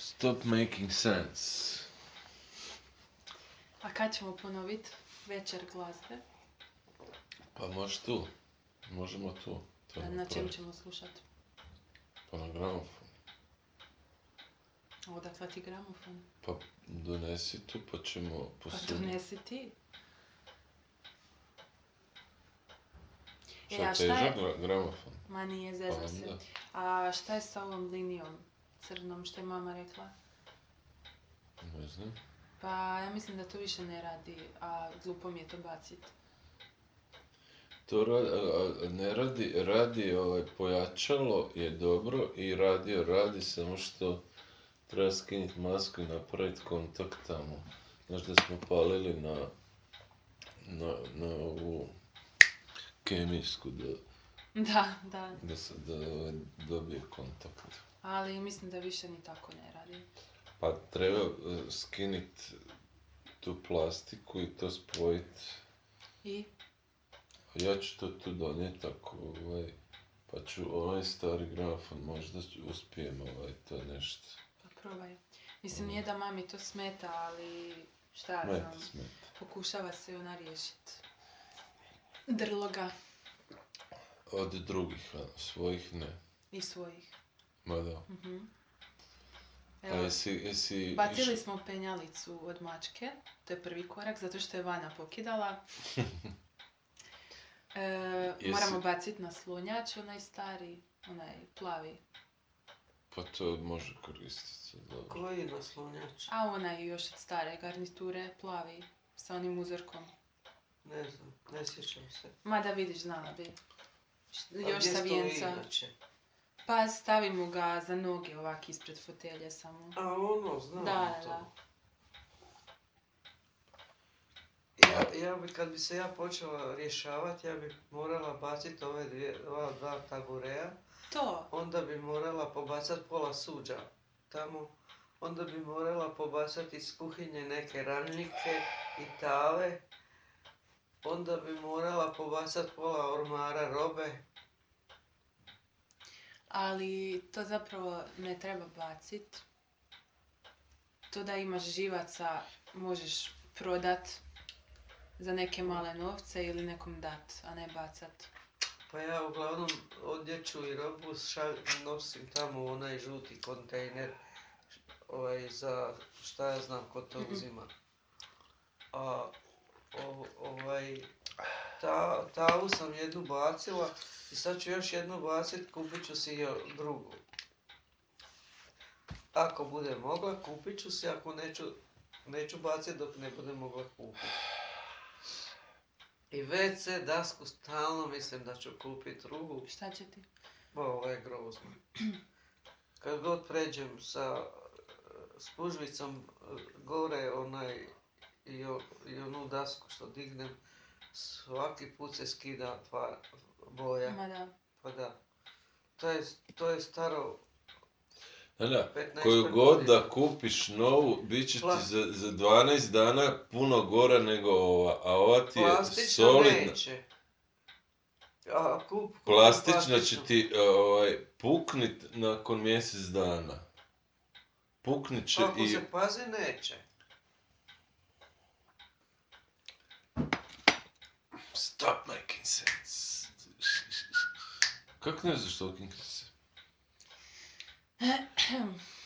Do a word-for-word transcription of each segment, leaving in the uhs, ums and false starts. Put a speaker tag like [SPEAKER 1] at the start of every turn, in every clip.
[SPEAKER 1] Stop making sense.
[SPEAKER 2] A kad ćemo ponoviti večer glazbe?
[SPEAKER 1] Pa može tu. Možemo tu. To
[SPEAKER 2] Na
[SPEAKER 1] napraviti.
[SPEAKER 2] čem ćemo slušati?
[SPEAKER 1] Pa na gramofon.
[SPEAKER 2] Odakle ti gramofon?
[SPEAKER 1] Pa donesi tu pa ćemo
[SPEAKER 2] Pa
[SPEAKER 1] posuditi.
[SPEAKER 2] donesi ti. E,
[SPEAKER 1] Šta
[SPEAKER 2] a
[SPEAKER 1] je
[SPEAKER 2] šta je-
[SPEAKER 1] težak gra- gramofon?
[SPEAKER 2] Ma nije,
[SPEAKER 1] Pa
[SPEAKER 2] zezam se.
[SPEAKER 1] onda.
[SPEAKER 2] A šta je sa ovom linijom crnom što je mama rekla?
[SPEAKER 1] Ne znam.
[SPEAKER 2] Pa ja mislim da to više ne radi, a glupo mi je to bacit.
[SPEAKER 1] To radi, a, a ne radi, radi ovaj, pojačalo je dobro i radio radi, samo što treba skinuti masku i napraviti kontakt tamo. Znaš da smo palili na, na, na ovu kemijsku da,
[SPEAKER 2] Da, da.
[SPEAKER 1] da se da, ovaj, dobije kontakt.
[SPEAKER 2] Ali mislim da više ni tako ne radi.
[SPEAKER 1] Pa treba uh, skinit tu plastiku i to spojit.
[SPEAKER 2] I?
[SPEAKER 1] Ja ću to tu donijeti ako ovaj, pa ću ovaj stari gramofon možda ću- uspijem ovaj to nešto.
[SPEAKER 2] Pa probaj. Mislim, nije da mami to smeta, ali šta ja
[SPEAKER 1] Smeta,
[SPEAKER 2] znam.
[SPEAKER 1] smeta.
[SPEAKER 2] Pokušava se ona riješit. Drloga
[SPEAKER 1] Od drugih, a svojih ne.
[SPEAKER 2] i svojih.
[SPEAKER 1] Ma da.
[SPEAKER 2] Mhm.
[SPEAKER 1] A
[SPEAKER 2] Evo,
[SPEAKER 1] jesi, jesi...
[SPEAKER 2] bacili
[SPEAKER 1] iš-
[SPEAKER 2] smo penjalicu od mačke, to je prvi korak, zato što je Vana pokidala. E,
[SPEAKER 1] Jesi-
[SPEAKER 2] moramo baciti na slonjač, onaj stari, onaj plavi.
[SPEAKER 1] Pa to može koristiti se dobro.
[SPEAKER 3] Koji naslonjač?
[SPEAKER 2] A onaj još od stare garniture, plavi, sa onim uzorkom.
[SPEAKER 3] Ne znam, ne sjećam se.
[SPEAKER 2] Ma da vidiš, znala bi. Š-
[SPEAKER 3] A
[SPEAKER 2] Još
[SPEAKER 3] gdje
[SPEAKER 2] sa
[SPEAKER 3] stoji
[SPEAKER 2] vijenca.
[SPEAKER 3] inače?
[SPEAKER 2] Pa stavimo ga za noge ovak ispred fotelje samo.
[SPEAKER 3] A ono, znam
[SPEAKER 2] Da,
[SPEAKER 3] to.
[SPEAKER 2] da.
[SPEAKER 3] Ja, ja bi, kad bi se ja počela rješavati, ja bi morala baciti ove dvije, ova dva tabureja,
[SPEAKER 2] To.
[SPEAKER 3] onda bi morala pobacati pola suđa tamo, onda bi morala pobacati iz kuhinje neke ranjike i tave, onda bi morala pobacati pola ormara robe.
[SPEAKER 2] Ali to zapravo ne treba bacit. To da imaš živaca možeš prodat za neke male novce ili nekom dat, a ne bacat.
[SPEAKER 3] Pa ja uglavnom odjeću i robu šalj, nosim tamo u onaj žuti kontejner, ovaj, za šta ja znam ko to
[SPEAKER 2] Mhm.
[SPEAKER 3] uzima. A o, ovaj, ta, tavu sam jednu bacila i sad ću još jednu bacit, kupit ću si jo drugu. Ako bude mogla, kupit ću si, ako neću, neću bacit dok ne bude mogla kupit. I ve ce dasku stalno mislim da ću kupit drugu.
[SPEAKER 2] Šta će ti?
[SPEAKER 3] Ovo je grozno. Kad god pređem sa spužvicom gore onaj i, o, i onu dasku što dignem, svaki put se skida tva boja.
[SPEAKER 2] Ma da.
[SPEAKER 3] Pa da. To je, to je staro
[SPEAKER 1] Da, da,
[SPEAKER 3] petnaest
[SPEAKER 1] koju god
[SPEAKER 3] godina.
[SPEAKER 1] da kupiš novu, bit će ti
[SPEAKER 3] Pla-
[SPEAKER 1] za, za dvanaest dana puno gora nego ova, a ova ti je
[SPEAKER 3] Plastična
[SPEAKER 1] solidna.
[SPEAKER 3] neće. A kup, kup
[SPEAKER 1] Plastična će
[SPEAKER 3] plastičnu.
[SPEAKER 1] ti ovaj, puknit nakon mjesec dana. Puknit će
[SPEAKER 3] Ako
[SPEAKER 1] i...
[SPEAKER 3] se pazi, neće.
[SPEAKER 1] Stop making sense. Kako ne znaš talking se?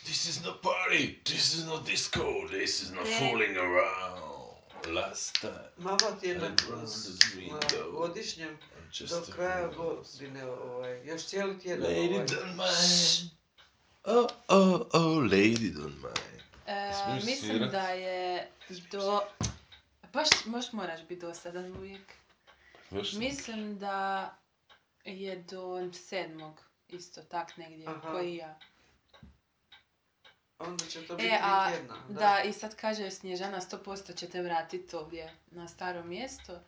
[SPEAKER 1] This is not party, this is not disco, this is not
[SPEAKER 2] Ne.
[SPEAKER 1] fooling around. Last time
[SPEAKER 3] Mama ti je
[SPEAKER 1] I
[SPEAKER 3] na,
[SPEAKER 1] rolled the
[SPEAKER 3] na
[SPEAKER 1] window.
[SPEAKER 3] godišnjem
[SPEAKER 1] I'm just
[SPEAKER 3] do
[SPEAKER 1] a
[SPEAKER 3] kraja
[SPEAKER 1] fool.
[SPEAKER 3] godine, ovaj, još cijeli tjedan
[SPEAKER 1] Lady
[SPEAKER 3] ovaj.
[SPEAKER 1] don't mind. Oh, oh, oh, lady don't mind.
[SPEAKER 2] E,
[SPEAKER 1] Smiješ
[SPEAKER 2] mislim
[SPEAKER 1] svirat?
[SPEAKER 2] da je do... Baš, baš moraš biti dosadan uvijek.
[SPEAKER 1] Baš
[SPEAKER 2] Mislim da je do sedmog isto tak negdje,
[SPEAKER 3] Aha.
[SPEAKER 2] koji ja.
[SPEAKER 3] Onda će to biti
[SPEAKER 2] E,
[SPEAKER 3] tri
[SPEAKER 2] a
[SPEAKER 3] tjedna. Da.
[SPEAKER 2] da, i sad kaže Snježana sto posto će te vratiti ovdje na staro mjesto.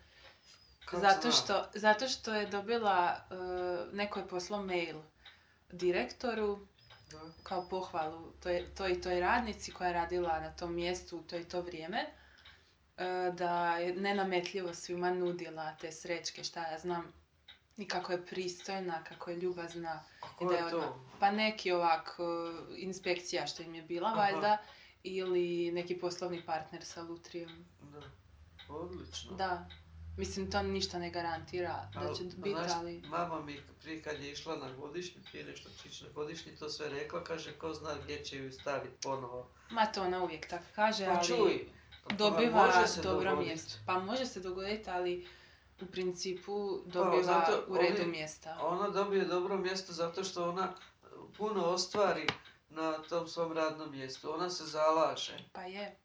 [SPEAKER 3] Kako
[SPEAKER 2] Zato
[SPEAKER 3] zna?
[SPEAKER 2] što, zato što je dobila, uh, neko je poslao mail direktoru
[SPEAKER 3] Da.
[SPEAKER 2] kao pohvalu toj, toj, toj radnici koja je radila na tom mjestu u to i to vrijeme, uh, da je nenametljivo svima nudila te srećke, šta ja znam. I kako je pristojna, kako je ljubazna.
[SPEAKER 3] A
[SPEAKER 2] I
[SPEAKER 3] ko
[SPEAKER 2] da je
[SPEAKER 3] je
[SPEAKER 2] ona,
[SPEAKER 3] to?
[SPEAKER 2] pa neki ovak uh, inspekcija što im je bila
[SPEAKER 3] Aha.
[SPEAKER 2] valjda, ili neki poslovni partner sa Lutrijom.
[SPEAKER 3] Da. Odlično.
[SPEAKER 2] Da. Mislim, to ništa ne garantira da
[SPEAKER 3] Al,
[SPEAKER 2] će
[SPEAKER 3] pa
[SPEAKER 2] biti,
[SPEAKER 3] znaš,
[SPEAKER 2] ali...
[SPEAKER 3] mama mi prije kad je išla na godišnji, prije nešto će ići na godišnji, to sve rekla, kaže ko zna gdje će ju staviti ponovo.
[SPEAKER 2] Ma to ona uvijek tako kaže,
[SPEAKER 3] Pa
[SPEAKER 2] ali
[SPEAKER 3] čuj, pa
[SPEAKER 2] dobiva
[SPEAKER 3] može se
[SPEAKER 2] dobro
[SPEAKER 3] dogodit.
[SPEAKER 2] mjesto. Pa može se dogoditi, ali u principu
[SPEAKER 3] Pa,
[SPEAKER 2] dobiva
[SPEAKER 3] zato
[SPEAKER 2] u redu
[SPEAKER 3] oni-
[SPEAKER 2] mjesta.
[SPEAKER 3] Ona dobije dobro mjesto zato što ona puno ostvari na tom svom radnom mjestu. Ona se zalaže.
[SPEAKER 2] Pa je.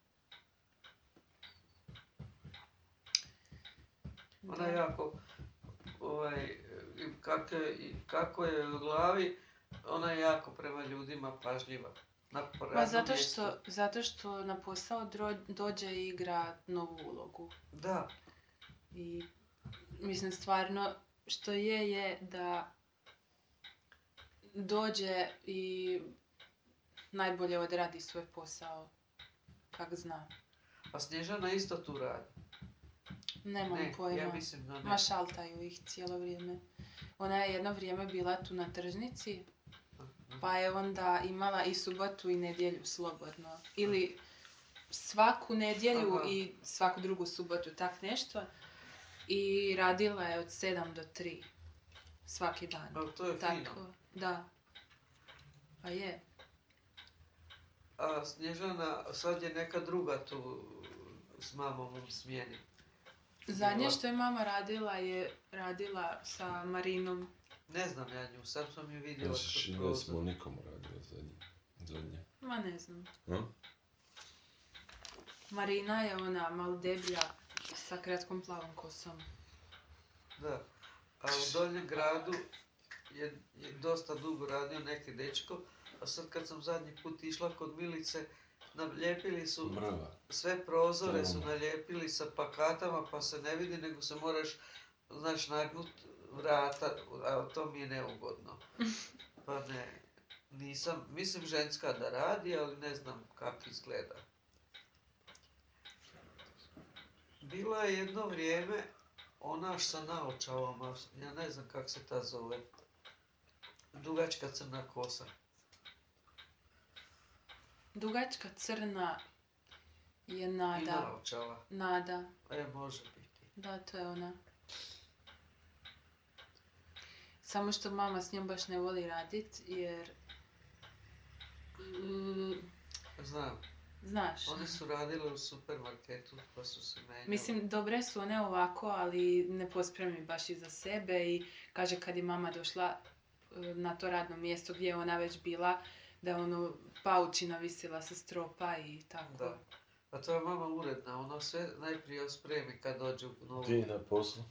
[SPEAKER 3] Ona
[SPEAKER 2] Da.
[SPEAKER 3] je jako, ovaj, i kako, je- i kako je u glavi, ona je jako prema ljudima pažljiva. Na
[SPEAKER 2] Ma
[SPEAKER 3] radnom
[SPEAKER 2] zato
[SPEAKER 3] mjestu.
[SPEAKER 2] što, zato što na posao dro- dođe i igra novu ulogu.
[SPEAKER 3] Da,
[SPEAKER 2] I mislim stvarno što je je da dođe i najbolje odradi svoj posao kak zna.
[SPEAKER 3] a Snježana isto tu radi.
[SPEAKER 2] Nemam
[SPEAKER 3] Ne,
[SPEAKER 2] pojma.
[SPEAKER 3] ja mislim da ne.
[SPEAKER 2] Ma šaltaju ih cijelo vrijeme. Ona je jedno vrijeme bila tu na tržnici, pa je onda imala i subotu i nedjelju slobodno. Ili svaku nedjelju
[SPEAKER 3] Aha.
[SPEAKER 2] i svaku drugu subotu, tak nešto. I radila je od sedam do tri. Svaki dan.
[SPEAKER 3] Ali to je
[SPEAKER 2] Tako,
[SPEAKER 3] fino.
[SPEAKER 2] da. Pa je.
[SPEAKER 3] A Snježana, sad je neka druga tu s mamom u smjeni.
[SPEAKER 2] Zadnje
[SPEAKER 3] Bila.
[SPEAKER 2] što je mama radila je radila sa Marinom.
[SPEAKER 3] Ne znam ja nju, sad sam ju vidjela
[SPEAKER 1] Znači,
[SPEAKER 3] kroz
[SPEAKER 1] šine s
[SPEAKER 3] prozor.
[SPEAKER 1] Monikom radila zadnje. Zadnje.
[SPEAKER 2] Ma ne znam.
[SPEAKER 1] A?
[SPEAKER 2] Marina je ona malo deblja sa kratkom plavom kosom.
[SPEAKER 3] Da. A u Donjem gradu je, je dosta dugo radio neki dečko, a sad kad sam zadnji put išla kod Milice, nalijepili su,
[SPEAKER 1] Mrva.
[SPEAKER 3] sve prozore su
[SPEAKER 1] Troma.
[SPEAKER 3] nalijepili sa plakatama pa se ne vidi, nego se moraš, znaš, nagnut vrata, a to mi je neugodno. Pa ne, nisam, mislim ženska da radi, ali ne znam kako izgleda. Bilo je jedno vrijeme ona sa naočalama, ja ne znam kako se ta zove, dugačka crna kosa.
[SPEAKER 2] Dugačka crna je
[SPEAKER 3] I
[SPEAKER 2] Nada.
[SPEAKER 3] naočala.
[SPEAKER 2] Nada.
[SPEAKER 3] E, može biti.
[SPEAKER 2] Da, to je ona. Samo što mama s njom baš ne voli radit, jer... Mm,
[SPEAKER 3] Znam,
[SPEAKER 2] znaš.
[SPEAKER 3] one su radile u supermarketu pa su se menjale.
[SPEAKER 2] Mislim, dobre su one ovako, ali ne pospremi baš iza sebe i kaže kad je mama došla e, na to radno mjesto gdje je ona već bila, da je ono paučina visila sa stropa i tako.
[SPEAKER 3] Da. A to je mama uredna, ona sve najprije spremi kad dođe u novu.
[SPEAKER 1] Ti na poslu?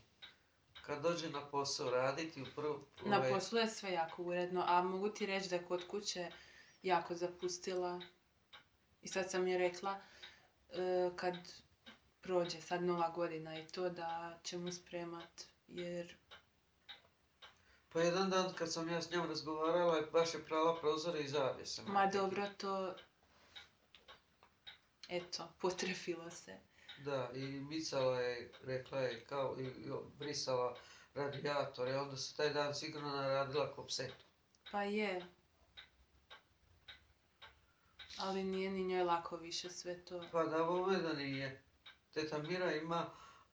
[SPEAKER 3] Kad dođe na posao raditi u prvu...
[SPEAKER 2] Na
[SPEAKER 3] ovaj,
[SPEAKER 2] poslu je sve jako uredno, a mogu ti reći da je kod kuće jako zapustila. I sad sam je rekla, e, kad prođe sad nova godina i to da ćemo spremat, jer
[SPEAKER 3] Pa jedan dan kad sam ja s njom razgovarala, baš je prala prozore i zavjese.
[SPEAKER 2] ma
[SPEAKER 3] majke.
[SPEAKER 2] dobro to, eto, potrefilo se.
[SPEAKER 3] Da, i micala je, rekla je, kao i, i brisala radijatore, onda se taj dan sigurno naradila ko psetu.
[SPEAKER 2] Pa je. Ali nije ni njoj lako više sve to.
[SPEAKER 3] Pa da, ovo da nije. Teta Mira ima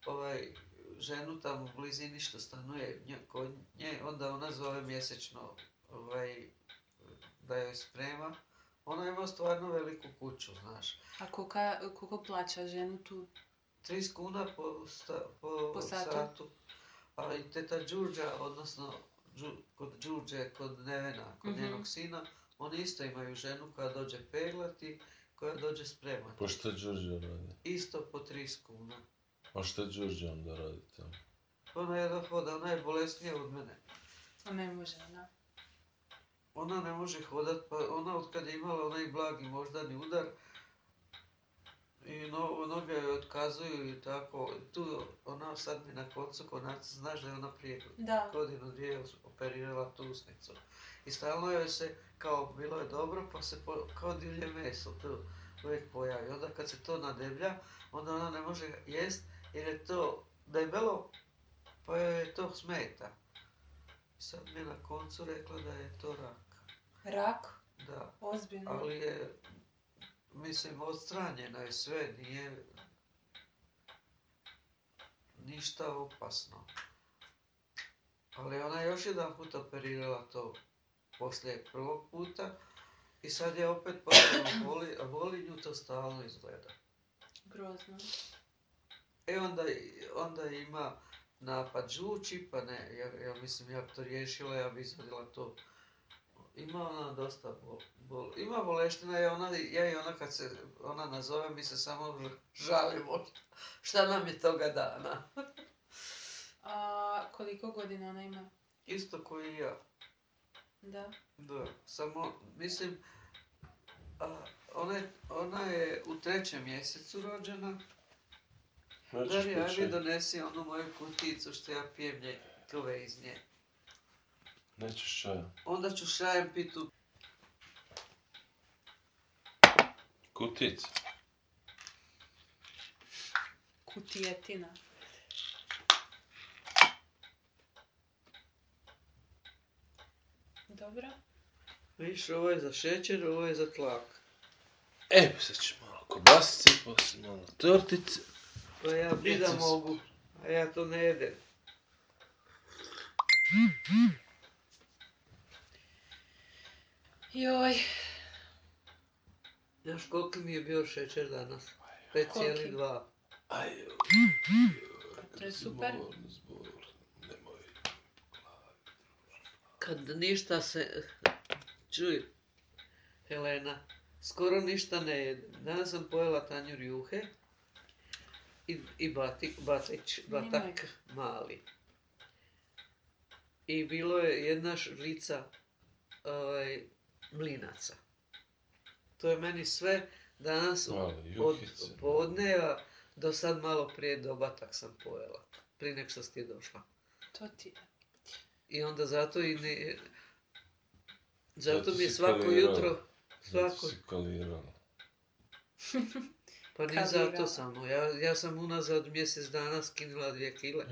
[SPEAKER 3] ovaj, ženu tamo u blizini što stanuje nje, kod nje, onda ona zove mjesečno ovaj, da joj sprema. Ona ima stvarno veliku kuću, znaš.
[SPEAKER 2] A koka, koliko plaća ženu tu?
[SPEAKER 3] trideset kuna po, sta, po,
[SPEAKER 2] Po satu.
[SPEAKER 3] satu. A i teta Đurđa, odnosno Đu, kod Đurđe, kod Nevena, kod
[SPEAKER 2] Mhm.
[SPEAKER 3] njenog sina, oni isto imaju ženu koja dođe peglati, koja dođe spremati.
[SPEAKER 1] Pa šta Đurđe radi?
[SPEAKER 3] Isto po trideset kuna.
[SPEAKER 1] A šta Đurđe onda radi tamo?
[SPEAKER 3] Ona jedno hoda, ona je bolesnija od mene.
[SPEAKER 2] A ne može ona.
[SPEAKER 3] Ona ne može hodat, pa ona od kad je imala onaj blagi moždani udar, i no, noge joj otkazuju i tako, tu ona sad mi na koncu konac, znaš da je ona prije
[SPEAKER 2] Da.
[SPEAKER 3] godinu dvije operirala tu usnicu. I stalno joj se, kao bilo je dobro, pa se po, kao divlje meso tu uvijek pojavi. Onda kad se to nadeblja, onda ona ne može jest jer je to debelo, pa joj je to smeta. Sad mi je na koncu rekla da je to rak.
[SPEAKER 2] Rak?
[SPEAKER 3] Da.
[SPEAKER 2] Ozbiljno?
[SPEAKER 3] Ali je, mislim, odstranjeno je sve, nije ništa opasno. Ali ona je još jedan put operirala to poslije prvog puta i sad je opet počela boli, a boli nju to stalno izgleda.
[SPEAKER 2] Grozno.
[SPEAKER 3] E onda, onda ima napad žuči, pa ne, ja, ja mislim, ja bi to riješila, ja bi izvadila to. Ima ona dosta bol, bol. Ima boleština, ja, ona, ja i ona kad se ona nazove, mi se samo žalimo šta nam je toga dana.
[SPEAKER 2] A koliko godina ona ima?
[SPEAKER 3] Isto koji i ja.
[SPEAKER 2] Da.
[SPEAKER 3] Da, samo, mislim, a, ona, je, ona je u trećem mjesecu rođena.
[SPEAKER 1] Nećeš
[SPEAKER 3] Dari, aj mi
[SPEAKER 1] piće.
[SPEAKER 3] donesi onu moju kuticu što ja pijem ljekove iz nje.
[SPEAKER 1] Nećeš čaja.
[SPEAKER 3] Onda ću šajem pitu.
[SPEAKER 1] Kutica.
[SPEAKER 2] Kutijetina. Dobro.
[SPEAKER 3] Viš, ovo je za šećer, ovo je za tlak.
[SPEAKER 1] E, sad ću malo kobasice, poslije malo tortice.
[SPEAKER 3] Pa ja bi da
[SPEAKER 1] Pizza.
[SPEAKER 3] mogu, a ja to ne jedem.
[SPEAKER 2] Joj.
[SPEAKER 3] Znaš koliki mi je bio šećer danas? pet zarez dva.
[SPEAKER 1] Aj,
[SPEAKER 2] To je super.
[SPEAKER 1] Zbor, zbor, nemoj.
[SPEAKER 3] Kad ništa se... Čuj, Helena, skoro ništa ne jedem. Danas sam pojela tanjur juhe i, i bati, batić, batak mali. I bilo je jedna žlica ovaj, mlinaca. To je meni sve danas
[SPEAKER 1] Mali
[SPEAKER 3] od
[SPEAKER 1] juhice.
[SPEAKER 3] podneva do sad malo prije dobatak sam pojela. Prije nek što ti je došla.
[SPEAKER 2] To ti je.
[SPEAKER 3] I onda zato i ne... Zato,
[SPEAKER 1] Zato
[SPEAKER 3] mi je
[SPEAKER 1] si
[SPEAKER 3] svako
[SPEAKER 1] kalirala.
[SPEAKER 3] jutro...
[SPEAKER 1] Zato
[SPEAKER 3] Svako...
[SPEAKER 1] si kalirala.
[SPEAKER 3] Pa ni
[SPEAKER 2] Kalirala.
[SPEAKER 3] zato samo. Ja, ja sam unazad mjesec dana skinula dvije kile.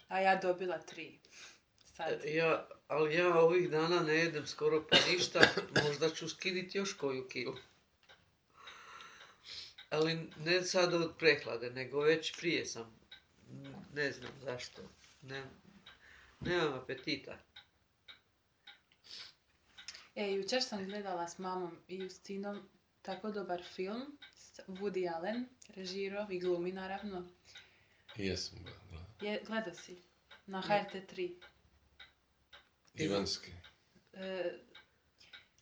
[SPEAKER 2] A ja dobila tri. Sad.
[SPEAKER 3] E, Ja, ali ja ovih dana ne jedem skoro pa ništa. Možda ću skiniti još koju kilu. Ali ne sad od prehlade, nego već prije sam. Ne znam zašto. Ne, nemam apetita.
[SPEAKER 2] E, jučer sam gledala s mamom i Justinom tako dobar film. Woody Allen, režirao i glumi naravno.
[SPEAKER 1] I jesam ga gledao.
[SPEAKER 2] Je, gledao si? Na H R T tri.
[SPEAKER 1] Ivanski.
[SPEAKER 2] E,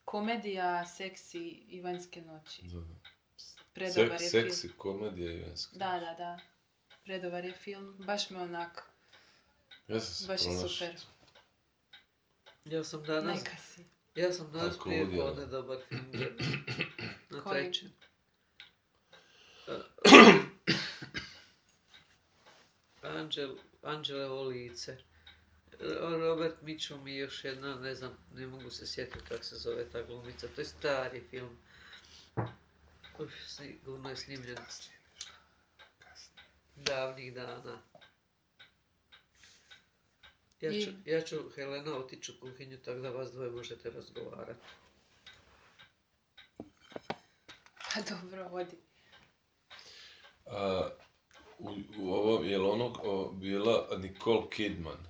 [SPEAKER 2] komedija seksi Ivanjske noći.
[SPEAKER 1] Dobro.
[SPEAKER 2] Predobar
[SPEAKER 1] Sek,
[SPEAKER 2] je
[SPEAKER 1] seksi,
[SPEAKER 2] film.
[SPEAKER 1] komedija ivanska.
[SPEAKER 2] Da, da, da. Predobar je film. Baš me onak.
[SPEAKER 1] Ja sam se
[SPEAKER 2] Baš je
[SPEAKER 1] pronašao.
[SPEAKER 2] super.
[SPEAKER 3] Ja sam danas...
[SPEAKER 2] Neka si.
[SPEAKER 3] Ja sam danas
[SPEAKER 1] Ako
[SPEAKER 3] prije
[SPEAKER 1] udjela.
[SPEAKER 3] podne dobar film gledao. Na
[SPEAKER 2] Koji?
[SPEAKER 3] trećem. Anđel, Anđelevo lice. Robert Mitchum i još jedna, ne znam, ne mogu se sjetiti kako se zove ta glumica. To je stari film. Uf, sigurno je snimljen davnih dana. Ja ću, ja ću Helena otići u kuhinju tako da vas dvoje možete razgovarati.
[SPEAKER 2] Pa dobro, vodi.
[SPEAKER 1] A, u, u ovom, je li ono o, bila Nicole Kidman,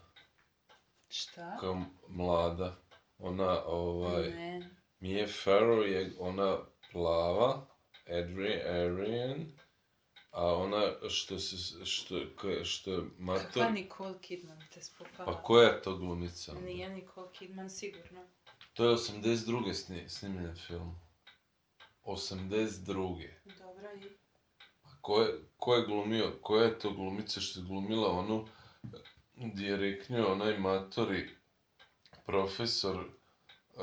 [SPEAKER 2] Šta?
[SPEAKER 1] kao mlada, ona, ovaj,
[SPEAKER 2] Ne.
[SPEAKER 1] Mia Farrow je ona plava, Adrian, a ona što se, što, ko- što je mator,
[SPEAKER 2] Kakva Nicole Kidman te spopala?
[SPEAKER 1] pa koja je to glumica? onda?
[SPEAKER 2] Nije Nicole Kidman sigurno.
[SPEAKER 1] To je osamdeset druge sni, snimljen film. osamdeset druge.
[SPEAKER 2] Dobro i...
[SPEAKER 1] Ko je, ko je glumio, koja je to glumica što je glumila onu gdje je reknio onaj matori profesor, uh,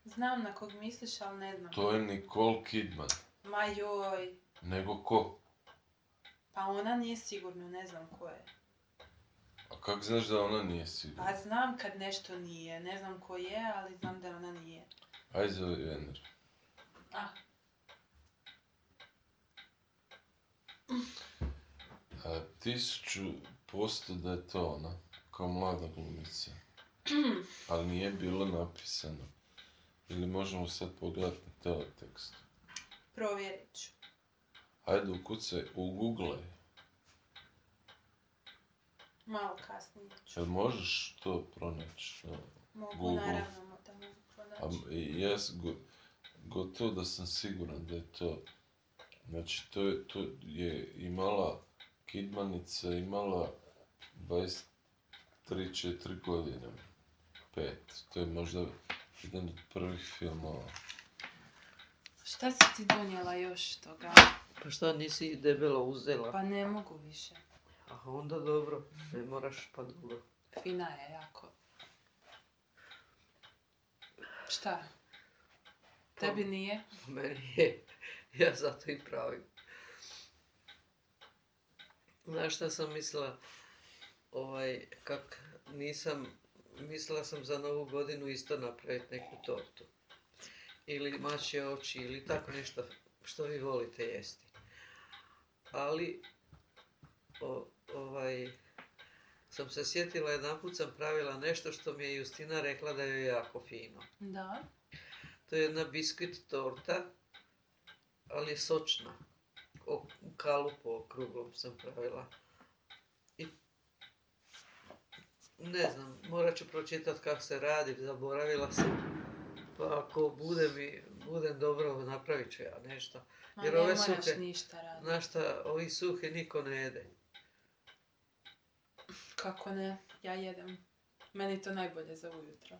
[SPEAKER 2] Znam na kog misliš, ali ne znam.
[SPEAKER 1] to je Nicole Kidman.
[SPEAKER 2] Ma joj.
[SPEAKER 1] Nego ko?
[SPEAKER 2] Pa ona nije sigurno, ne znam ko je.
[SPEAKER 1] A kako znaš da ona nije sigurna?
[SPEAKER 2] Pa znam kad nešto nije, ne znam ko je, ali znam da ona nije.
[SPEAKER 1] Ajde zove Vener.
[SPEAKER 2] Ah,
[SPEAKER 1] A tisuću posto da je to ona. kao mlada glumica. Ali nije bilo napisano. Ili možemo sad pogledati na teletekstu.
[SPEAKER 2] Provjerit ću.
[SPEAKER 1] Ajde ukucaj, uguglaj.
[SPEAKER 2] Malo kasnije ću.
[SPEAKER 1] Jel možeš to pronaći? na
[SPEAKER 2] Mogu,
[SPEAKER 1] Google?
[SPEAKER 2] naravno da mogu
[SPEAKER 1] A
[SPEAKER 2] pronaći.
[SPEAKER 1] m- jes, go, gotovo da sam siguran da je to. Znači, to je, to je imala, Kidmanica imala dvadeset tri četiri godine. Pet. To je možda jedan od prvih filmova.
[SPEAKER 2] Šta si ti donijela još toga?
[SPEAKER 3] Pa šta nisi debelo uzela?
[SPEAKER 2] Pa ne mogu više.
[SPEAKER 3] A onda dobro, ne moraš pa dobro.
[SPEAKER 2] Fina je jako. Šta? Tebi nije?
[SPEAKER 3] Meni je, ja zato i pravim. Znaš šta sam mislila? Ovaj, kak nisam, mislila sam za novu godinu isto napraviti neku tortu. Ili mačje oči, ili tako nešto što vi volite jesti. Ali, o, ovaj, sam se sjetila, jedanput sam pravila nešto što mi je Justina rekla da je jako fino.
[SPEAKER 2] Da.
[SPEAKER 3] To je jedna biskvit torta, ali je sočna. O, u kalupu okruglom sam pravila. I ne znam, morat ću pročitati kako se radi, zaboravila sam. Pa ako bude mi, budem dobro, napravit ću ja nešto.
[SPEAKER 2] Ma
[SPEAKER 3] Jer
[SPEAKER 2] ne
[SPEAKER 3] ove
[SPEAKER 2] moraš
[SPEAKER 3] suhe,
[SPEAKER 2] ništa raditi.
[SPEAKER 3] znaš šta, ovi suhe niko ne jede.
[SPEAKER 2] Kako ne? Ja jedem. Meni je to najbolje za ujutro.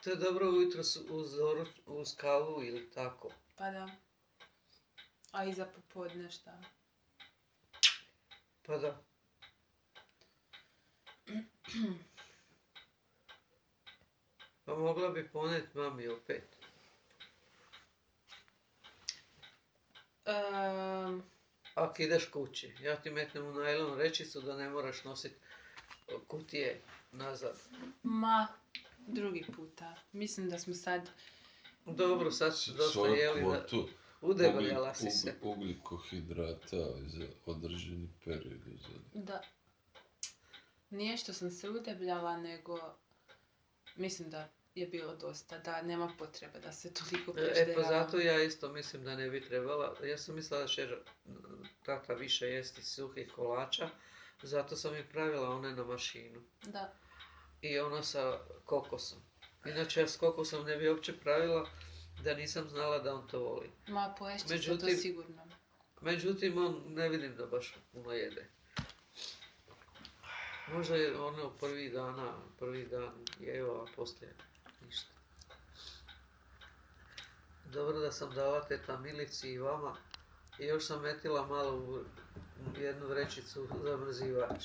[SPEAKER 3] To je dobro ujutro s- uz, doruč, uz kavu ili tako.
[SPEAKER 2] Pa da. A i za popodne šta?
[SPEAKER 3] Pa da. Pa mogla bi ponet mami opet.
[SPEAKER 2] Um,
[SPEAKER 3] Ako ideš kući, ja ti metnem u najlon rečicu da ne moraš nositi kutije nazad.
[SPEAKER 2] ma, drugi puta. Mislim da smo sad...
[SPEAKER 3] Dobro, sad
[SPEAKER 1] S-
[SPEAKER 3] si dosta
[SPEAKER 1] Svoju
[SPEAKER 3] jeli, da
[SPEAKER 1] kvotu
[SPEAKER 3] udebeljala
[SPEAKER 1] ugli-
[SPEAKER 3] si se.
[SPEAKER 1] ug- ugljikohidrata za određeni period uzeli.
[SPEAKER 2] Da. Nije što sam se udebljala, nego... Mislim da je bilo dosta, da nema potrebe da se toliko
[SPEAKER 3] E
[SPEAKER 2] prežderavam.
[SPEAKER 3] pa zato ja isto mislim da ne bi trebala. Ja sam mislila da će tata više jesti suhih kolača, zato sam i pravila one na mašinu.
[SPEAKER 2] Da.
[SPEAKER 3] I ono sa kokosom. Inače ja s kokosom ne bi uopće pravila da nisam znala da on to voli.
[SPEAKER 2] Ma, poješće se to
[SPEAKER 3] Međutim-
[SPEAKER 2] sigurno.
[SPEAKER 3] Međutim, on ne vidim da baš puno jede. Možda je ono prvi dana, prvi dan jeo, a poslije ništa. Dobro da sam dala teta Milici i vama. I još sam metila malo u u jednu vrećicu zamrzivač.